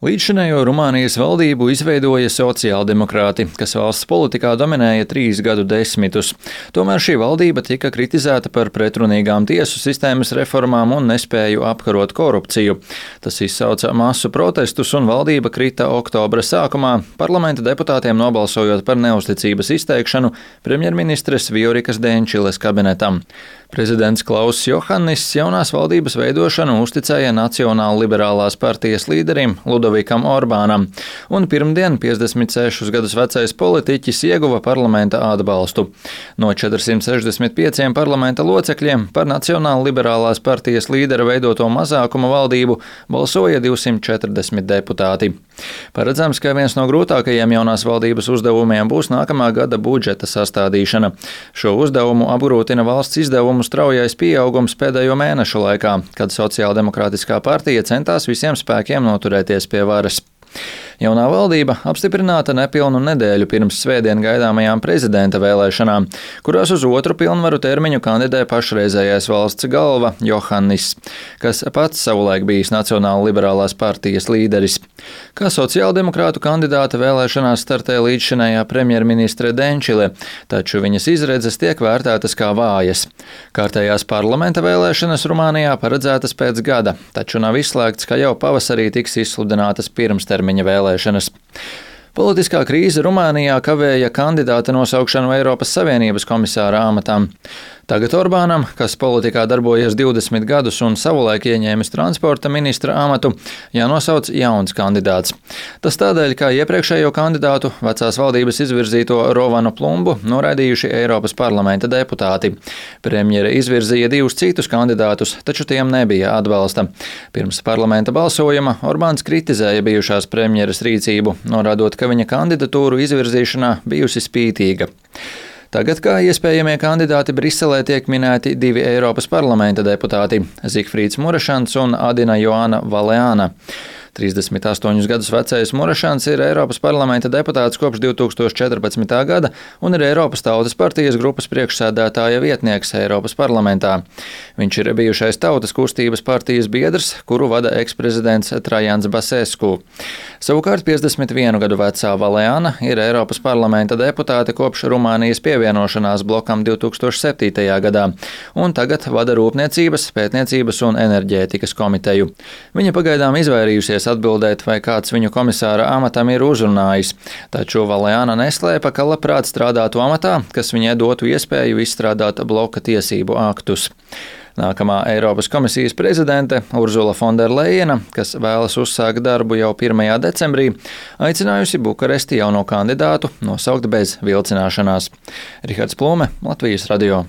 Līdzšinējo Rumānijas valdību izveidoja sociāldemokrāti, kas valsts politikā dominēja 3 gadu desmitus. Tomēr šī valdība tika kritizēta par pretrunīgām tiesu sistēmas reformām un nespēju apkarot korupciju. Tas izsauca masu protestus un valdība krita oktobra sākumā, parlamenta deputātiem nobalsojot par neusticības izteikšanu premjerministres Viorikas Denčiles kabinetam. Prezidents Klauss Johannis jaunās valdības veidošanu uzticēja Nacionāla liberālās partijas līderim Ludovikam Orbānam, un pirmdien 56 gadus vecais politiķis ieguva parlamenta atbalstu. No 465 parlamenta locekļiem par Nacionāla liberālās partijas līdera veidoto mazākuma valdību balsoja 240 deputāti. Paredzams, ka viens no grūtākajiem jaunās valdības uzdevumiem būs nākamā gada budžeta sastādīšana. Šo uzdevumu apgrūtina valsts izdevumu straujais pieaugums pēdējo mēnešu laikā, kad Sociāldemokrātiskā partija centās visiem spēkiem noturēties pie varas. Jaunā valdība apstiprināta nepilnu nedēļu pirms svētdien gaidāmajām prezidenta vēlēšanām, kurās uz otru pilnvaru termiņu kandidē pašreizējais valsts galva Johannis, kas pats savulaik bijis Nacionāla liberālās partijas līderis. Kā sociāldemokrātu kandidāte vēlēšanās startē līdzšinējā premjerministre Denčile, taču viņas izredzes tiek vērtētas kā vājas. Kārtējās parlamenta vēlēšanas Rumānijā paredzētas pēc gada, taču nav izslēgts, ka jau pavasarī tiks izsludinātas pirmstermiņa vēlēšanas. Politiskā krīze Rumānijā kavēja kandidāta nosaukšanu Eiropas Savienības komisāra amatam. Tagad Orbānam, kas politikā darbojies 20 gadus un savulaik ieņēmis transporta ministra amatu, jānosauc jauns kandidāts. Tas tādēļ, ka iepriekšējo kandidātu vecās valdības izvirzīto Rovanu Plumbu noraidījuši Eiropas parlamenta deputāti. Premjere izvirzīja 2 citus kandidātus, taču tiem nebija atbalsta. Pirms parlamenta balsojuma Orbāns kritizēja bijušās premjeras rīcību, norādot, ka viņa kandidatūru izvirzīšanā bijusi spītīga. Tagad kā iespējamie kandidāti Briselē tiek minēti 2 Eiropas parlamenta deputāti – Zigfrīds Murašans un Adina Joana Valeāna. 38 gadus vecais Murašans ir Eiropas parlamenta deputāts kopš 2014. gada un ir Eiropas Tautas partijas grupas priekšsēdētāja vietnieks Eiropas parlamentā. Viņš ir bijušais Tautas kustības partijas biedrs, kuru vada eksprezidents Trajans Basescu. Savukārt 51 gadu vecā Valeāna ir Eiropas parlamenta deputāte kopš Rumānijas pievienošanās blokam 2007. gadā un tagad vada Rūpniecības, Pētniecības un enerģētikas komiteju. Viņa pagaidām izvairījusies atbildēt, vai kāds viņu komisāra amatam ir uzrunājis, taču Valeāna neslēpa, ka labprāt strādātu amatā, kas viņai dotu iespēju izstrādāt bloka tiesību aktus. Nākamā Eiropas komisijas prezidente Urzula Fonderlejena, kas vēlas uzsākt darbu jau 1. decembrī, aicinājusi Bukaresti jauno kandidātu nosaukt bez vilcināšanās. Rihards Plūme, Latvijas radio.